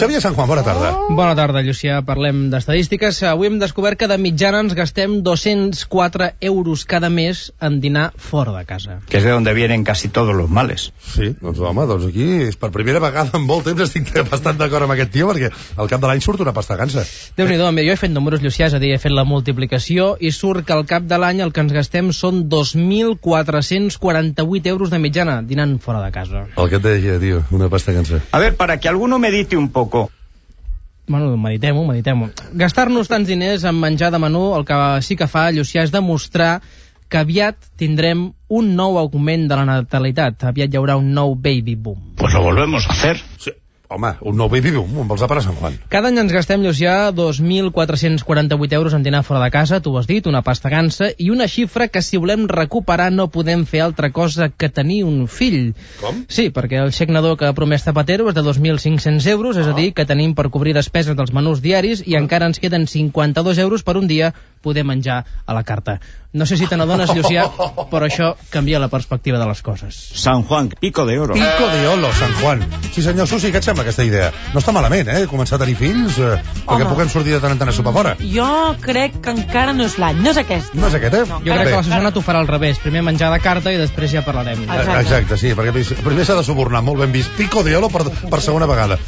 Xavier San Juan, bona tarda. Bona tarda, Llucià. Parlem d'estadístiques. Avui hem descobert que de mitjana ens gastem 204 euros cada mes en dinar fora de casa. Que és de donde vienen casi todos los males. Sí, doncs home, aquí és per primera vegada en molt temps estic bastant d'acord amb aquest tio, perquè al cap de l'any surt una pasta gansa. Déu-n'hi-do, jo he fet números, Llucià, és a dir, he fet la multiplicació i surt que al cap de l'any el que ens gastem són 2.448 euros de mitjana dinant fora de casa. El que et deia, tio, una pasta gansa. A ver, para que alguno medite un poco. Bueno, meditem-ho. Gastar-nos tants diners en menjar de menú el que sí que fa, Llucià, és demostrar que aviat tindrem un nou augment de la natalitat. Aviat hi haurà un nou baby boom. Pues lo volvemos a hacer. Sí. Home, un nou baby boom, amb els àpats Sant Juan. Cada any ens gastem, Llucià, 2.448 euros en dinar fora de casa, tu ho has dit, una pasta gansa, i una xifra que si volem recuperar no podem fer altra cosa que tenir un fill. Com? Sí, perquè el xec nadó que ha promès Zapatero és de 2.500 euros, és a dir, que tenim per cobrir despeses dels menús diaris i encara ens queden 52 euros per un dia poder menjar a la carta. No sé si te n'adones, Llucià, però això canvia la perspectiva de les coses. San Juan, pico de oro. Pico de oro, San Juan. Sí, senyor Susi, què et sembla aquesta idea? No està malament, començar a tenir fills, perquè puguem sortir de tant en tant a sopar fora. Jo crec que encara no és l'any, no és aquest. No és aquest, No, Jo crec que la Susana t'ho farà al revés. Primer menjar de carta i després ja parlarem. Exacte. Exacte, sí, perquè primer s'ha de subornar, molt ben vist. Pico de oro per segona vegada.